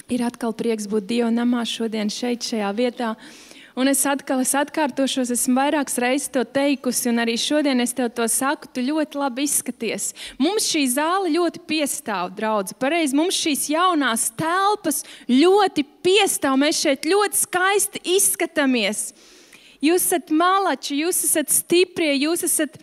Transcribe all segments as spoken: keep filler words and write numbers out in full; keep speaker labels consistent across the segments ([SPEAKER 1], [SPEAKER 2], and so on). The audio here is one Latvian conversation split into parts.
[SPEAKER 1] Ir atkal prieks būt Dieva namā šodien šeit, šajā vietā. Un es atkal es atkārtošos, esmu vairākas reizes to teikusi, un arī šodien es tev to saku, tu ļoti labi izskaties. Mums šī zāle ļoti piestāv, draudzi. Pareizi, mums šīs jaunās telpas ļoti piestāv. Mēs šeit ļoti skaisti izskatāmies. Jūs esat malači, jūs esat stiprie, jūs esat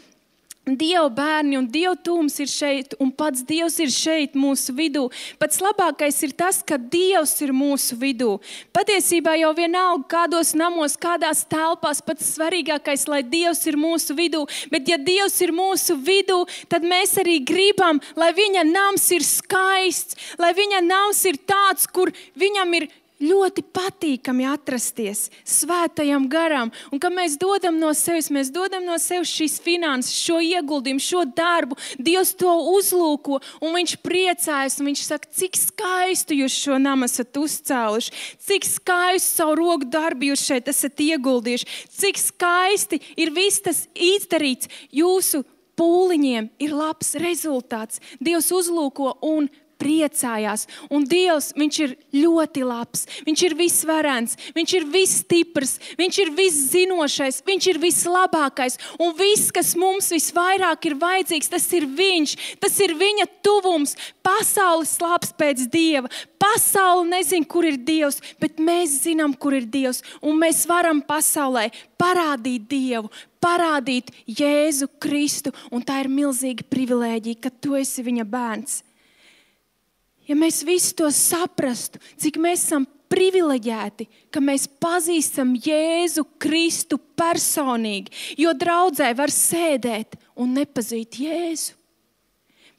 [SPEAKER 1] Dieva bērni, un Dieva tūms ir šeit, un pats Dievs ir šeit mūsu vidū. Pats labākais ir tas, ka Dievs ir mūsu vidū. Patiesībā jau vienalga kādos namos, kādās telpās, pats svarīgākais, lai Dievs ir mūsu vidū. Bet ja Dievs ir mūsu vidū, tad mēs arī gribam, lai viņa nams ir skaists, lai viņa nams ir tāds, kur viņam ir ļoti patīkami atrasties svētajam garam. Un kad mēs dodam no sevis, mēs dodam no sevis šīs finanses, šo ieguldījumu, šo darbu. Dievs to uzlūko un viņš priecājas. Un viņš saka, cik skaistu jūs šo namu esat uzcēluši. Cik skaistu savu roku darbu jūs šeit esat ieguldījuši. Cik skaisti ir viss tas izdarīts. Jūsu pūliņiem ir labs rezultāts. Dievs uzlūko un priecājās. Un Dievs, viņš ir ļoti labs. Viņš ir visvarens. Viņš ir visstiprs. Viņš ir viszinošais. Viņš ir vislabākais. Un viss, kas mums visvairāk ir vajadzīgs, tas ir viņš. Tas ir viņa tuvums. Pasaule slāps pēc Dieva. Pasaule nezin, kur ir Dievs, bet mēs zinām, kur ir Dievs. Un mēs varam pasaulē parādīt Dievu, parādīt Jēzu Kristu. Un tā ir milzīga privilēģija, ka tu esi viņa bērns. Ja mēs visi to saprastu, cik mēs esam privileģēti, ka mēs pazīstam Jēzu Kristu personīgi, jo draudzē var sēdēt un nepazīt Jēzu.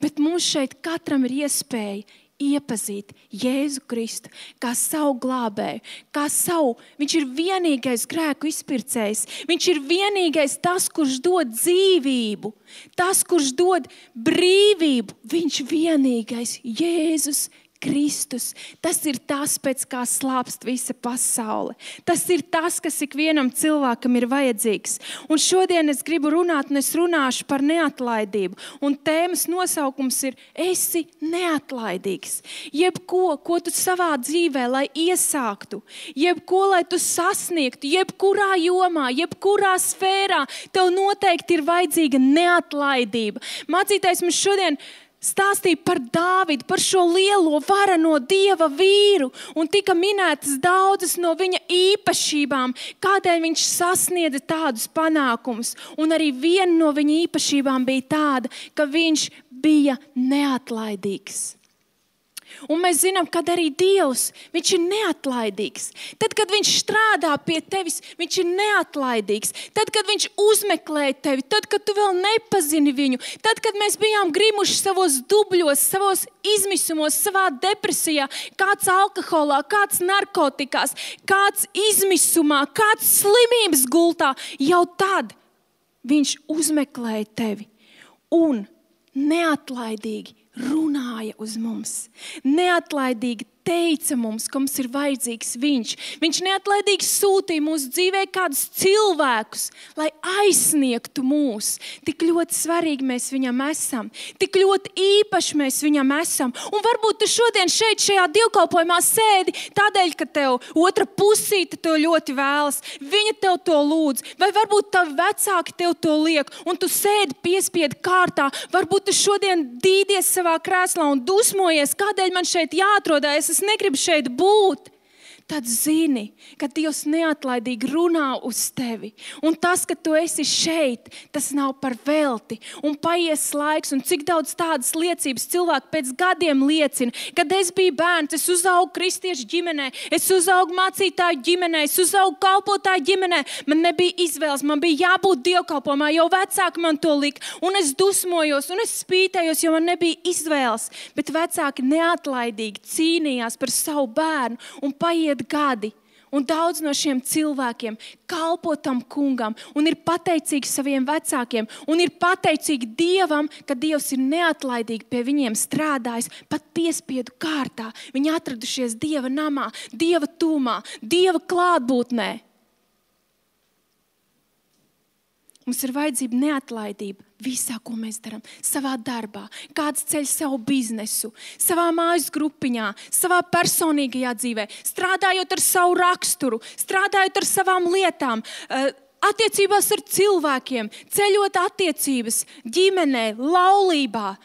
[SPEAKER 1] Bet mums šeit katram ir iespēja iepazīt Jēzu Kristu kā savu glābēju, kā savu. Viņš ir vienīgais grēku izpircējs. Viņš ir vienīgais tas, kurš dod dzīvību, tas, kurš dod brīvību. Viņš vienīgais Jēzus Kristus. Tas ir tas, pēc kā slāpst visa pasaule. Tas ir tas, kas ikvienam cilvēkam ir vajadzīgs. Un šodien es gribu runāt, un es runāšu par neatlaidību. Un tēmas nosaukums ir esi neatlaidīgs. Jebko, ko tu savā dzīvē, lai iesāktu, jebko, lai tu sasniegtu, jebkurā jomā, jebkurā sfērā, tev noteikti ir vajadzīga neatlaidība. Mācītājs mums šodien stāstīja par Dāvidu, par šo lielo varano Dieva vīru, un tika minētas daudzas no viņa īpašībām, kādēļ viņš sasniedza tādus panākumus. Un arī viena no viņa īpašībām bija tāda, ka viņš bija neatlaidīgs. Un mēs zinām, kad arī Dievs, viņš ir neatlaidīgs. Tad, kad viņš strādā pie tevis, viņš ir neatlaidīgs. Tad, kad viņš uzmeklē tevi, tad, kad tu vēl nepazini viņu, tad, kad mēs bijām grimuši savos dubļos, savos izmisumos, savā depresijā, kāds alkoholā, kāds narkotikās, kāds izmisumā, kāds slimības gultā, jau tad viņš uzmeklēja tevi un neatlaidīgi runāja uz mums. Neatlaidīgi teica mums, ka mums ir vajadzīgs viņš. Viņš neatlaidīgi sūtīja mūsu dzīvē kādus cilvēkus, lai aizsniegtu mūs. Tik ļoti svarīgi mēs viņam esam. Tik ļoti īpaši mēs viņam esam. Un varbūt tu šodien šeit šajā dievkalpojumā sēdi tādēļ, ka tev otra pusīte to ļoti vēlas. Viņa tev to lūdz. Vai varbūt tavi vecāki tev to liek. Un tu sēdi piespiedu kārtā. Varbūt tu šodien dīdies savā krēslā un dusmojies, kādēļ man šeit jāatrodās. Es negribu šeit būt. Tad zini, ka Dievs neatlaidīgi runā uz tevi. Un tas, ka tu esi šeit, tas nav par velti. Un paies laiks, un cik daudz tādas liecības cilvēki pēc gadiem liecina. Kad es biju bērns, es uzaugu kristiešu ģimenē, es uzaugu mācītāju ģimenē, es uzaugu kalpotāju ģimenē. Man nebija izvēles, man bija jābūt dievkalpojumā, jo vecāki man to lika. Un es dusmojos, un es spītējos, jo man nebija izvēles. Bet vecāki neatlaidīgi cīnījās par savu bērnu un paiet gadi. Un daudz no šiem cilvēkiem kalpo tam kungam un ir pateicīgi saviem vecākiem un ir pateicīgi Dievam, ka Dievs ir neatlaidīgi pie viņiem strādājis pat piespiedu kārtā. Viņi atradušies Dieva namā, Dieva tūmā, Dieva klātbūtnē. Mums ir vajadzība neatlaidība visā, ko mēs darām. Savā darbā, kāds ceļ savu biznesu, savā mājas grupiņā, savā personīgajā dzīvē, strādājot ar savu raksturu, strādājot ar savām lietām, attiecībās ar cilvēkiem, ceļot attiecības, ģimenē, laulībā,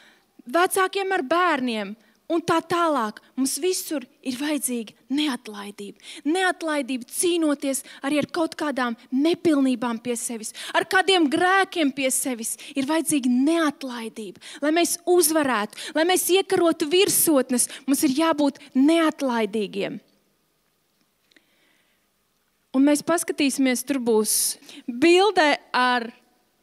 [SPEAKER 1] vecākiem ar bērniem. Un tā tālāk, mums visur ir vajadzīga neatlaidība. Neatlaidība cīnoties arī ar kaut kādām nepilnībām pie sevis, ar kādiem grēkiem pie sevis. Ir vajadzīga neatlaidība. Lai mēs uzvarētu, lai mēs iekarotu virsotnes, mums ir jābūt neatlaidīgiem. Un mēs paskatīsimies, tur būs bilde ar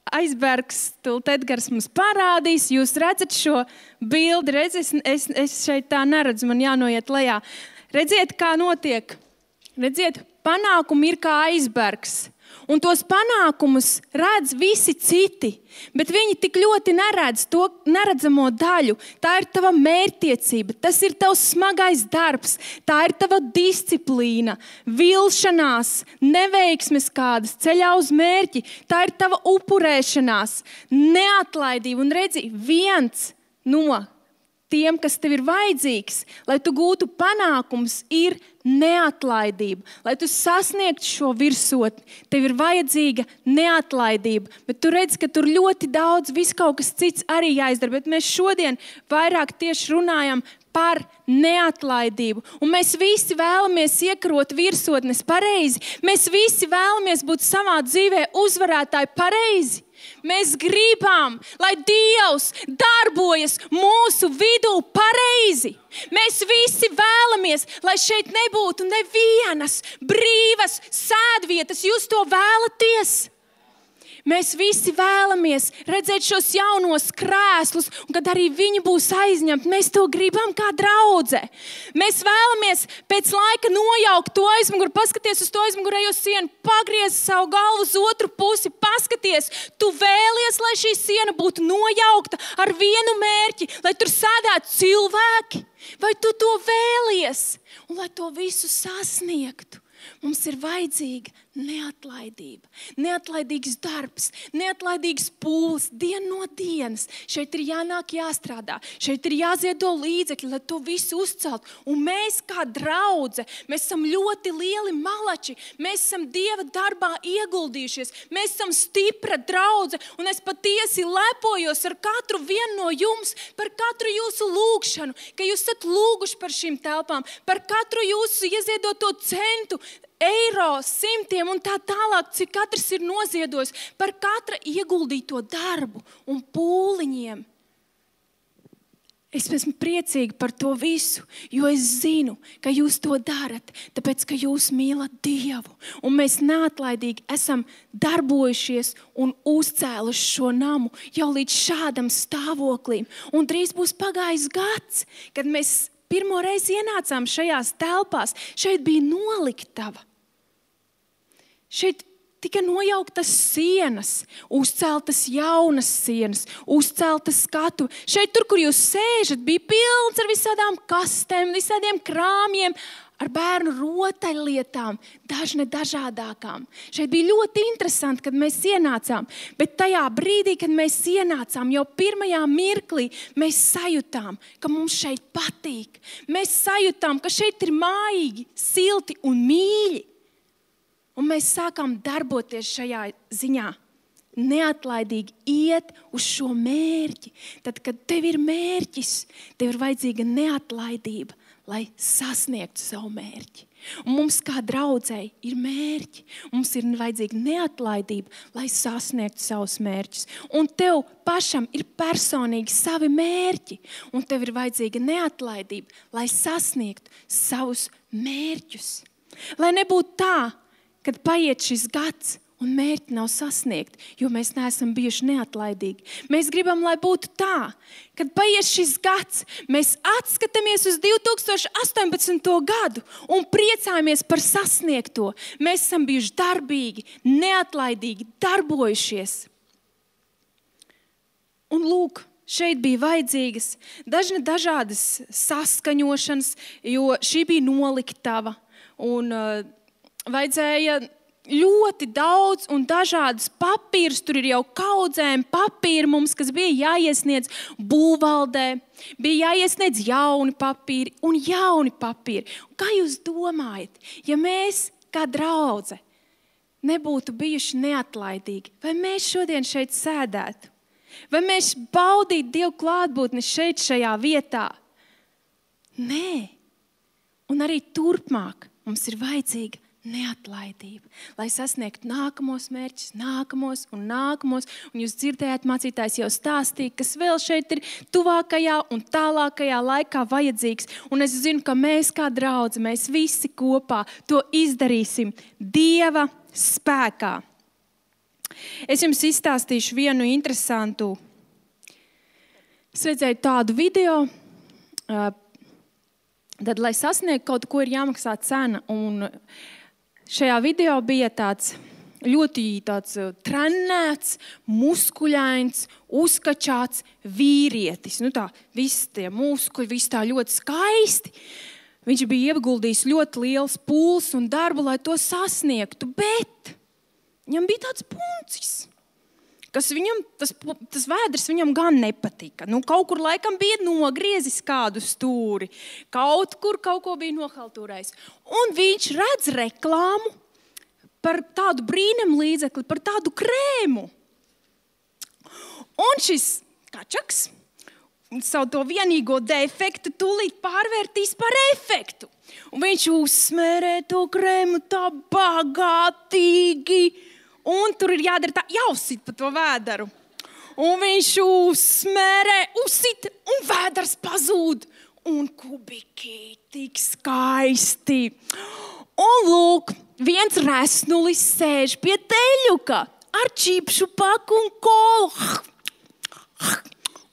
[SPEAKER 1] aizbergs, tūlīt Edgars mums parādīs. Jūs redzat šo bildi, redz, es, es, es šeit tā neredzu, man jānoiet lejā. Redziet, kā notiek. Redziet, panākumi ir kā aizbergs. Un tos panākumus redz visi citi, bet viņi tik ļoti neredz to neredzamo daļu. Tā ir tava mērķtiecība, tas ir tavs smagais darbs, tā ir tava disciplīna, vilšanās, neveiksmes kādas ceļā uz mērķi. Tā ir tava upurēšanās, neatlaidība. Un redzi, viens no tiem, kas tev ir vajadzīgs, lai tu gūtu panākums, ir neatlaidība. Lai tu sasniegtu šo virsotni, tev ir vajadzīga neatlaidība. Bet tu redzi, ka tur ļoti daudz, viss kaut kas cits arī jāizdara. Bet mēs šodien vairāk tieši runājam par neatlaidību. Un mēs visi vēlamies iekarot virsotnes pareizi. Mēs visi vēlamies būt savā dzīvē uzvarētāji pareizi. Mēs gribam, lai Dievs darbojas mūsu vidū pareizi. Mēs visi vēlamies, lai šeit nebūtu nevienas brīvas sēdvietas. Jūs to vēlaties? Mēs visi vēlamies redzēt šos jaunos krēslus, un kad arī viņi būs aizņemti, mēs to gribam kā draudze. Mēs vēlamies pēc laika nojaukt to aizmuguri, paskaties uz to aizmugurējo sienu, pagriez savu galvu uz otru pusi, paskaties. Tu vēlies, lai šī siena būtu nojaukta ar vienu mērķi, lai tur sēdētu cilvēki, vai tu to vēlies? Un lai to visu sasniegtu, mums ir vajadzīga neatlaidība, neatlaidīgs darbs, neatlaidīgs pūles, diena no dienas. Šeit ir jānāk jāstrādā, šeit ir jāziedo līdzekļi, lai to visu uzcelt. Un mēs kā draudze, mēs esam ļoti lieli malači, mēs esam Dieva darbā ieguldījušies, mēs esam stipra draudze, un es patiesi lepojos ar katru vienu no jums, par katru jūsu lūgšanu, ka jūs esat lūguši par šīm telpām, par katru jūsu ieziedoto centu, eiro, simtiem un tā tālāk, cik katrs ir noziedojis, par katra ieguldīto darbu un pūliņiem. Es esmu priecīga par to visu, jo es zinu, ka jūs to darat, tāpēc, ka jūs mīlat Dievu. Un mēs neatlaidīgi esam darbojušies un uzcēluši šo namu jau līdz šādam stāvoklim. Un drīz būs pagājis gads, kad mēs pirmo reizi ienācām šajās telpās. Šeit bija noliktava. Šeit tika nojauktas sienas, uzceltas jaunas sienas, uzceltas skatu. Šeit tur, kur jūs sēžat, bija pilns ar visādām kastēm, visādiem krāmiem, ar bērnu rotaļlietām, dažne dažādākām. Šeit bija ļoti interesanti, kad mēs ienācām, bet tajā brīdī, kad mēs ienācām, jau pirmajā mirklī mēs sajūtām, ka mums šeit patīk. Mēs sajūtām, ka šeit ir mājīgi, silti un mīļi. Un mēs sākām darboties šajā ziņā. Neatlaidīgi iet uz šo mērķi. Tad, kad tev ir mērķis, tev ir vajadzīga neatlaidība, lai sasniegtu savu mērķi. Un mums kā draudzei ir mērķi. Mums ir vajadzīga neatlaidība, lai sasniegtu savus mērķus. Un tev pašam ir personīgi savi mērķi. Un tev ir vajadzīga neatlaidība, lai sasniegtu savus mērķus. Lai nebūtu tā, kad paiet šis gads un mērķi nav sasniegti, jo mēs neesam bijuši neatlaidīgi. Mēs gribam, lai būtu tā, kad paiet šis gads, mēs atskatāmies uz divi tūkstoši astoņpadsmito gadu un priecājamies par sasniegto. Mēs esam bijuši darbīgi, neatlaidīgi, darbojušies. Un lūk, šeit bija vajadzīgas dažne dažādas saskaņošanas, jo šī bija noliktava un uh, vajadzēja ļoti daudz un dažādas papīrus. Tur ir jau kaudzēm papīri mums, kas bija jāiesniedz būvvaldē. Bija jāiesniedz jauni papīri un jauni papīri. Un kā jūs domājat, ja mēs kā draudze nebūtu bijuši neatlaidīgi, vai mēs šodien šeit sēdētu? Vai mēs baudītu Dievu klātbūtni šeit, šajā vietā? Nē. Un arī turpmāk mums ir vajadzīga neatlaidība, lai sasniegtu nākamos mērķus, nākamos un nākamos. Un jūs dzirdējāt, mācītājs jau stāstīja, kas vēl šeit ir tuvākajā un tālākajā laikā vajadzīgs. Un es zinu, ka mēs kā draudze, mēs visi kopā to izdarīsim Dieva spēkā. Es jums izstāstīšu vienu interesantu. Es redzēju tādu video, tad, lai sasniegtu kaut ko, ir jāmaksā cena. Un šajā video bija tāds ļoti tāds trenēts, muskuļains, uzkačāts vīrietis. Nu tā, visi tie muskuļi, visi tā ļoti skaisti. Viņš bija ieguldījis ļoti liels pūles un darbu, lai to sasniegtu, bet viņam bija tāds puncis, kas viņam, tas, tas vēders viņam gan nepatika. Nu, kaut kur laikam bija nogriezis kādu stūri, kaut kur kaut ko bija nohaltūrējis. Un viņš redz reklāmu par tādu brīnumu līdzekli, par tādu krēmu. Un šis kačaks savu to vienīgo defektu tūlīt pārvērtīs par efektu. Un viņš uzsmērē to krēmu tā bagātīgi. Un tur ir jādara tā, jāuzsit pa to vēderu. Un viņš uzsmērē, uzsit, un vēders pazūd. Un kubiki tik skaisti. Un lūk, viens resnulis sēž pie teļuka ar čipšu paku un kolu.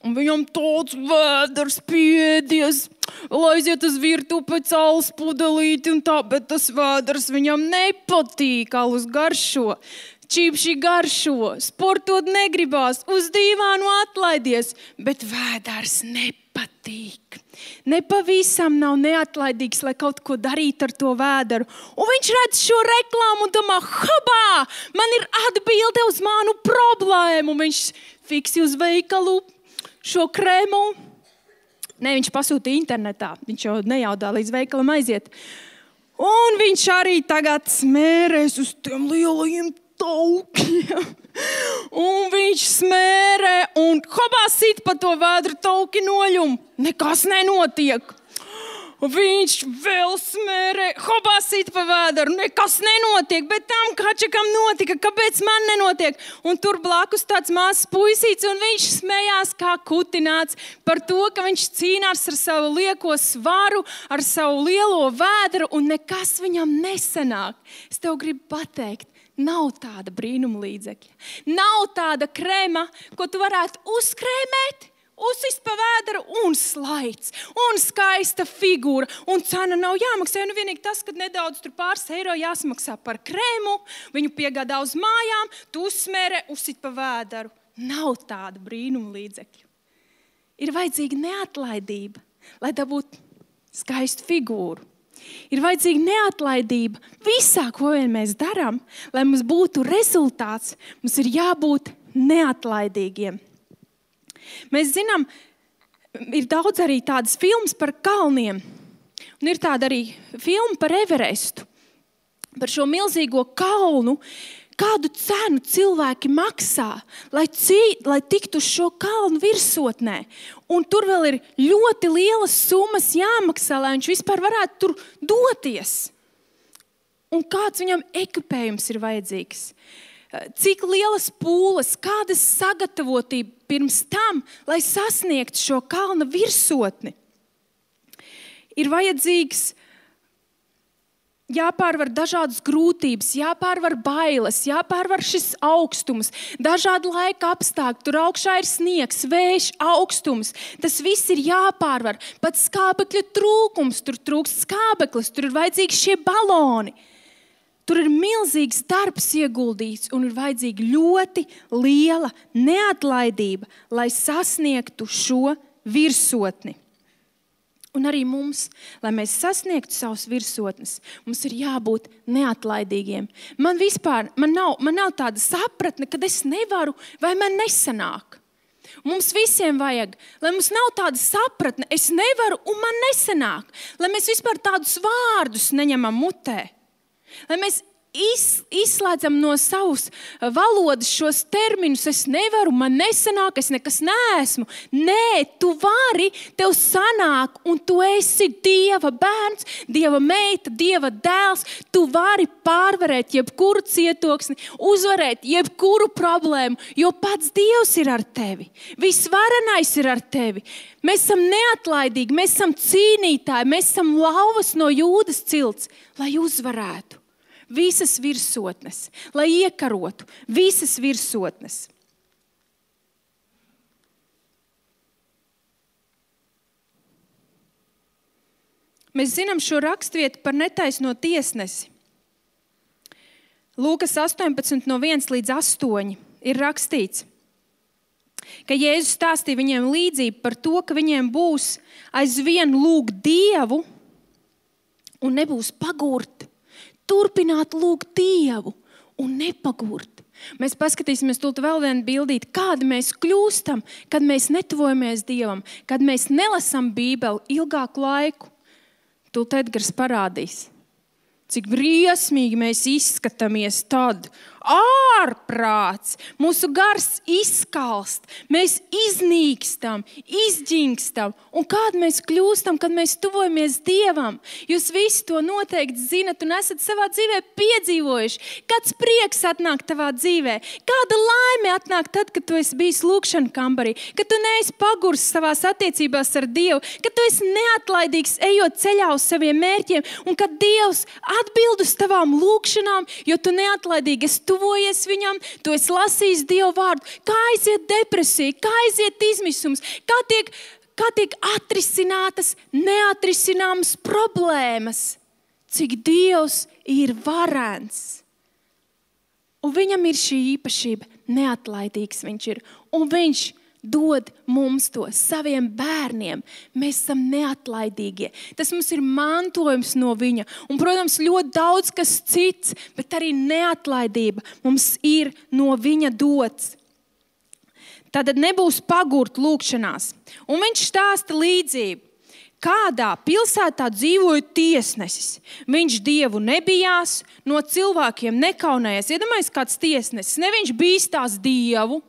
[SPEAKER 1] Un viņam tāds vēders piedies, lai aiziet uz virtuvi pēc alus pudelīti un tā, bet tas vēders viņam nepatīk, alus garšo. Čipši garšo, sportot negribās, uz dīvānu atlaidies, bet vēders nepatīk. Nepavisam nav neatlaidīgs, lai kaut ko darītu ar to vēderu. Un viņš redz šo reklāmu un domā, habā, man ir atbilde uz manu problēmu. Un viņš fiksi uz veikalu šo krēmu. Ne, viņš pasūtīja internetā, viņš jau nejaudā līdz veikalam aiziet. Un viņš arī tagad smērēs uz tiem lielajiem taukiem. Un viņš smērē un hopā sit pa to vēdru tauki noļumu. Nekas nenotiek. Viņš vēl smērē, hopā sit pa vēderu. Nekas nenotiek, bet tam kačakam notika. Kāpēc man nenotiek? Un tur blakus tāds mazs puisīts un viņš smējās kā kutināts par to, ka viņš cīnās ar savu lieko svaru, ar savu lielo vēderu un nekas viņam nesanāk. Es tev gribu pateikt, nav tāda brīnuma līdzekļa. Nav tāda krēma, ko tu varētu uzkrēmēt, uzsist pa vēderu un slaids, un skaista figūra, un cena nav jāmaksā. Nu vienīgi tas, ka nedaudz tur pāris eiro jāsamaksā par krēmu, viņu piegādā uz mājām, tu uzsmērē, uzsit pa vēderu. Nav tāda brīnuma līdzekļa. Ir vajadzīga neatlaidība, lai dabūtu skaistu figūru. Ir vajadzīga neatlaidība visā, ko vien mēs darām, lai mums būtu rezultāts. Mums ir jābūt neatlaidīgiem. Mēs zinām, ir daudz arī tādas filmas par kalniem. Un ir tāda arī filma par Everestu, par šo milzīgo kalnu. Kādu cenu cilvēki maksā, lai, cī, lai tiktu uz šo kalnu virsotnē. Un tur vēl ir ļoti lielas summas jāmaksā, lai viņš vispār varētu tur doties. Un kāds viņam ekipējums ir vajadzīgs? Cik lielas pūles, kādas sagatavotība pirms tam, lai sasniegtu šo kalna virsotni? Ir vajadzīgs jāpārvar dažādas grūtības, jāpārvar bailes, jāpārvar šis augstums, dažādi laika apstākļi, tur augšā ir sniegs, vējš, augstums. Tas viss ir jāpārvar. Pat skābekļa trūkums, tur trūkst skābeklis, tur ir vajadzīgi šie baloni. Tur ir milzīgs darbs ieguldīts un ir vajadzīga ļoti liela neatlaidība, lai sasniegtu šo virsotni. Un arī mums, lai mēs sasniegtu savus virsotnes, mums ir jābūt neatlaidīgiem. Man vispār, man nav, man nav tāda sapratne, kad es nevaru vai man nesanāk. Mums visiem vajag, lai mums nav tāda sapratne, es nevaru un man nesanāk. Lai mēs vispār tādus vārdus neņemam mutē. Lai mēs Iz, izslēdzam no savas valodas šos terminus. Es nevaru, man nesanāk, es nekas neesmu. Nē, tu vari, tev sanāk, un tu esi Dieva bērns, Dieva meita, Dieva dēls. Tu vari pārvarēt jebkuru cietoksni, uzvarēt jebkuru problēmu, jo pats Dievs ir ar tevi. Visvarenais ir ar tevi. Mēs esam neatlaidīgi, mēs esam cīnītāji, mēs esam lauvas no Jūdas cilts, lai uzvarētu visas virsotnes, lai iekarotu visas virsotnes. Mēs zinām šo rakstvietu par netaisno tiesnesi. Lūkas astoņpadsmit no viens līdz astoņi ir rakstīts, ka Jēzus stāstīja viņiem līdzību par to, ka viņiem būs aizvien lūgt Dievu un nebūs pagurt. Turpināt lūgt Dievu un nepagurt. Mēs paskatīsimies tūlīt vēl vienu bildīti, kādi mēs kļūstam, kad mēs netuvojamies Dievam, kad mēs nelasam Bībeli ilgāku laiku. Tūlīt Edgars parādīs, cik briesmīgi mēs izskatāmies tad. Ārprāts, mūsu gars izskalst, mēs iznīkstam, izģingstam. Un kādi mēs kļūstam, kad mēs tuvojamies Dievam? Jūs visi to noteikti zinat un esat savā dzīvē piedzīvojuši. Kāds prieks atnāk tavā dzīvē? Kāda laime atnāk tad, kad tu esi bijis lūkšana kambarī? Kad tu neesi pagurs savās attiecībās ar Dievu? Kad tu esi neatlaidīgs, ejot ceļā uz saviem mērķiem? Un kad Dievs atbild uz tavām lūkšanām, jo tu neatlaidīgi esi tuvojies viņam, tu esi lasījis Dievu vārdu, kā aiziet depresija, kā aiziet izmisums, kā tiek, kā tiek atrisinātas neatrisināmas problēmas, cik Dievs ir varens. Un viņam ir šī īpašība, neatlaidīgs viņš ir, un viņš dod mums to saviem bērniem. Mēs esam neatlaidīgie. Tas mums ir mantojums no viņa. Un, protams, ļoti daudz kas cits, bet arī neatlaidība mums ir no viņa dots. Tātad nebūs pagurt lūkšanās. Un viņš stāsta līdzību. Kādā pilsētā dzīvoja tiesnesis. Viņš Dievu nebijās, no cilvēkiem nekaunējies. Iedomājies kāds tiesnesis. Ne viņš bīstās Dievu,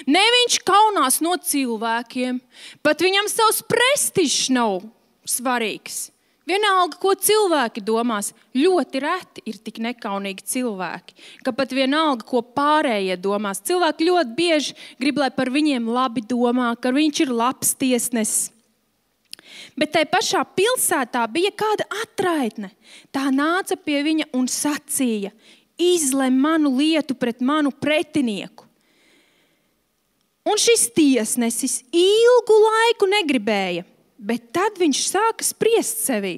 [SPEAKER 1] ne viņš kaunās no cilvēkiem, pat viņam savs prestižs nav svarīgs. Vienalga, ko cilvēki domās, ļoti reti ir tik nekaunīgi cilvēki, ka pat vienalga, ko pārējie domās. Cilvēki ļoti bieži grib, lai par viņiem labi domā, ka viņš ir labs tiesnesis. Bet tai pašā pilsētā bija kāda atraitne. Tā nāca pie viņa un sacīja, izlem manu lietu pret manu pretinieku. Un šis tiesnesis ilgu laiku negribēja, bet tad viņš sāka spriest sevī.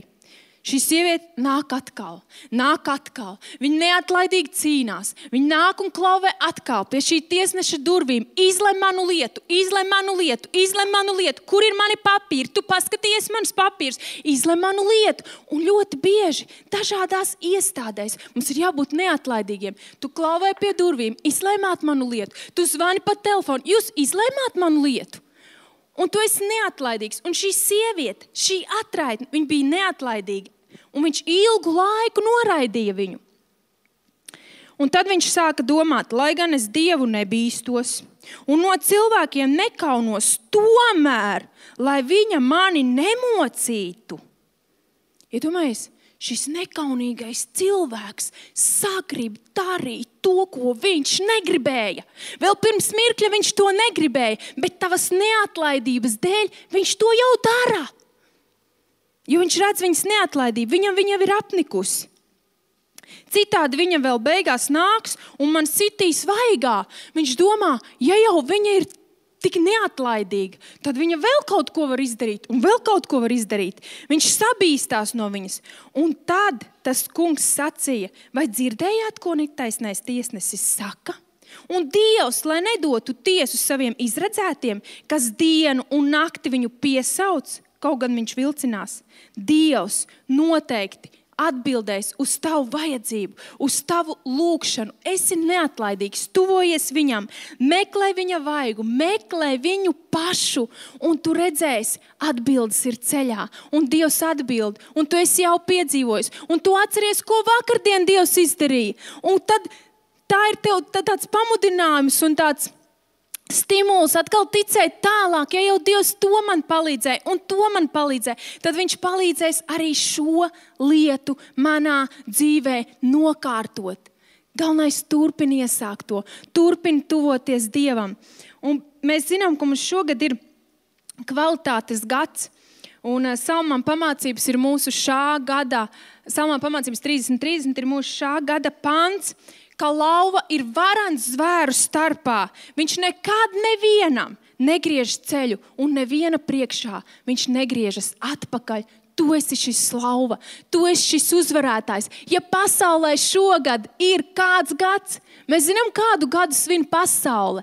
[SPEAKER 1] Šī sieviete nāk atkal, nāk atkal. Viņa neatlaidīgi cīnās. Viņa nāk un klauvē atkal pie šī tiesneša durvīm. Izlem manu lietu, izlem manu lietu, izlem manu lietu. Kur ir mani papīri? Tu paskaties manas papīrs. Izlem manu lietu. Un ļoti bieži dažādās iestādēs mums ir jābūt neatlaidīgiem. Tu klauvē pie durvīm, izlēmāt manu lietu. Tu zvani pa telefonu, jūs izlēmāt manu lietu. Un tu esi neatlaidīgs. Un šī sieviete, šī atraitne, viņa bija neatlaidīga. Un viņš ilgu laiku noraidīja viņu. Un tad viņš sāka domāt, lai gan es Dievu nebīstos un no cilvēkiem nekaunos, tomēr, lai viņa mani nemocītu. Iedomājies, šis nekaunīgais cilvēks sagrib darīt to, ko viņš negribēja. Vēl pirms mirkļa viņš to negribēja, bet tavas neatlaidības dēļ viņš to jau dara. Jo viņš redz viņas neatlaidību, viņam viņa ir apnikusi. Citādi viņa vēl beigās nāks un man sitīs vaigā. Viņš domā, ja jau viņa ir tik neatlaidīga, tad viņa vēl kaut ko var izdarīt un vēl kaut ko var izdarīt. Viņš sabīstās no viņas. Un tad tas kungs sacīja, vai dzirdējāt, ko netaisnais tiesnesis saka? Un Dievs, lai nedotu tiesu saviem izredzētiem, kas dienu un nakti viņu piesauc, kaut gan viņš vilcinās, Dievs noteikti atbildēs uz tavu vajadzību, uz tavu lūgšanu. Esi neatlaidīgs, tuvojies viņam, meklē viņa vaigu, meklē viņu pašu, un tu redzēsi, atbildes ir ceļā, un Dievs atbild, un tu esi jau piedzīvojis, un tu atceries, ko vakardien Dievs izdarīja. Un tad tā ir tev tāds pamudinājums un tāds stimuls atkal ticēt tālāk, ja jau Dievs to man palīdzēja un to man palīdzēja, tad viņš palīdzēs arī šo lietu manā dzīvē nokārtot. Galvenais turpini iesākt to, turpini tuvoties Dievam. Un mēs zinām, ka mums šogad ir kvalitātes gads, un Salmām pamācības ir mūsu šā gada, Salmām pamācības trīsdesmit trīsdesmit ir mūsu šā gada pants, ka lauva ir varans zvēru starpā. Viņš nekad nevienam negriež ceļu un neviena priekšā. Viņš negriežas atpakaļ. Tu esi šis lauva, tu esi šis uzvarētājs. Ja pasaulē šogad ir kāds gads, mēs zinām, kādu gadu svin pasaule.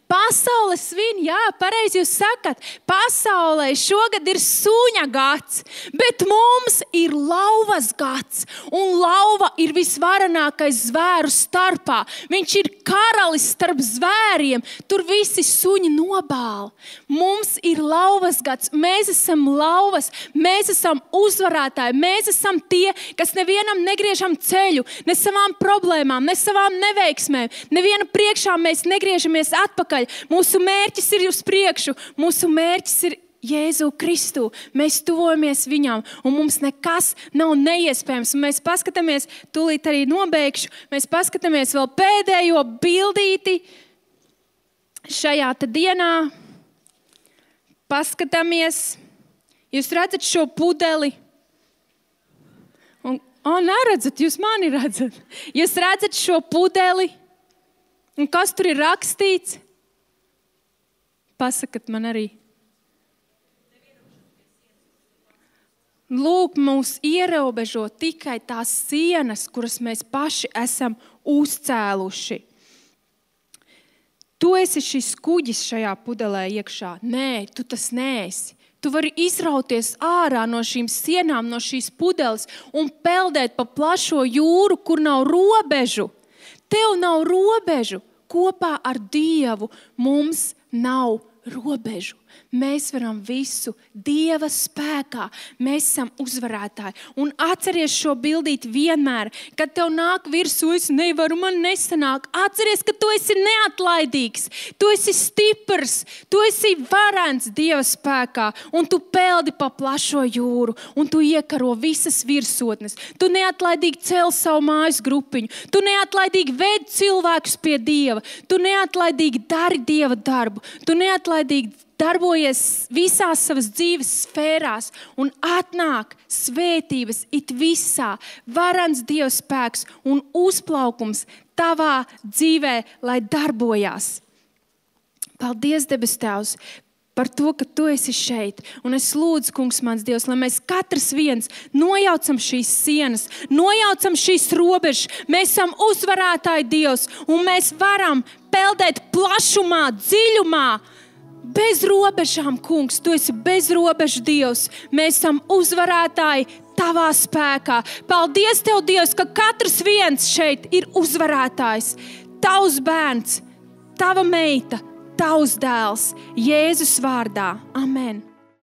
[SPEAKER 1] Pasaule svin, jā, pareizi jūs sakat, pasaulē šogad ir suņa gads, bet mums ir lauvas gads, un lauva ir visvarenākais zvēru starpā. Viņš ir karalis starp zvēriem, tur visi suņi nobāla. Mums ir lauvas gads, mēs esam lauvas, mēs esam uzvarētāji, mēs esam tie, kas nevienam negriežam ceļu, ne savām problēmām, ne savām neveiksmēm, neviena priekšā mēs negriežamies atpakaļ. Mūsu mērķis ir uz priekšu, mūsu mērķis ir Jēzu Kristu. Mēs tuvojamies viņam, un mums nekas nav neiespējams. Un mēs paskatāmies, tūlīt arī nobeigšu, mēs paskatāmies vēl pēdējo bildīti šajā te dienā. Paskatāmies. Jūs redzat šo pudeli? Un, o, neredzat, jūs mani redzat. Jūs redzat šo pudeli? Un kas tur ir rakstīts? Pasakat man arī. Lūk, mūs ierobežo tikai tās sienas, kuras mēs paši esam uzcēluši. Tu esi šis kuģis šajā pudelē iekšā. Nē, tu tas neesi. Tu vari izrauties ārā no šīm sienām, no šīs pudeles un peldēt pa plašo jūru, kur nav robežu. Tev nav robežu. Kopā ar Dievu mums nav robežu. Mēs varam visu Dieva spēkā. Mēs esam uzvarētāji. Un atceries šo bildīt vienmēr, kad tev nāk virsū, es nevaru, man nesanāk. Atceries, ka tu esi neatlaidīgs, tu esi stiprs, tu esi varens Dieva spēkā, un tu peldi pa plašo jūru, un tu iekaro visas virsotnes. Tu neatlaidīgi cel savu mājas grupiņu, tu neatlaidīgi ved cilvēkus pie Dieva, tu neatlaidīgi dari Dieva darbu, tu neatlaidīgi darbojies visās savas dzīves sfērās un atnāk svētības it visā, varans Dieva spēks un uzplaukums tavā dzīvē, lai darbojās. Paldies, debes Tēvs, par to, ka tu esi šeit. Un es lūdzu, kungs mans Dievs, lai mēs katrs viens nojaucam šīs sienas, nojaucam šīs robežas. Mēs esam uzvarētāji Dievs, un mēs varam peldēt plašumā, dziļumā, bez robežām, kungs. Tu esi bez robežu Dievs. Mēs esam uzvarētāji tavā spēkā. Paldies tev, Dievs, ka katrs viens šeit ir uzvarētājs. Tavs bērns, tava meita, tavs dēls. Jēzus vārdā. Amen.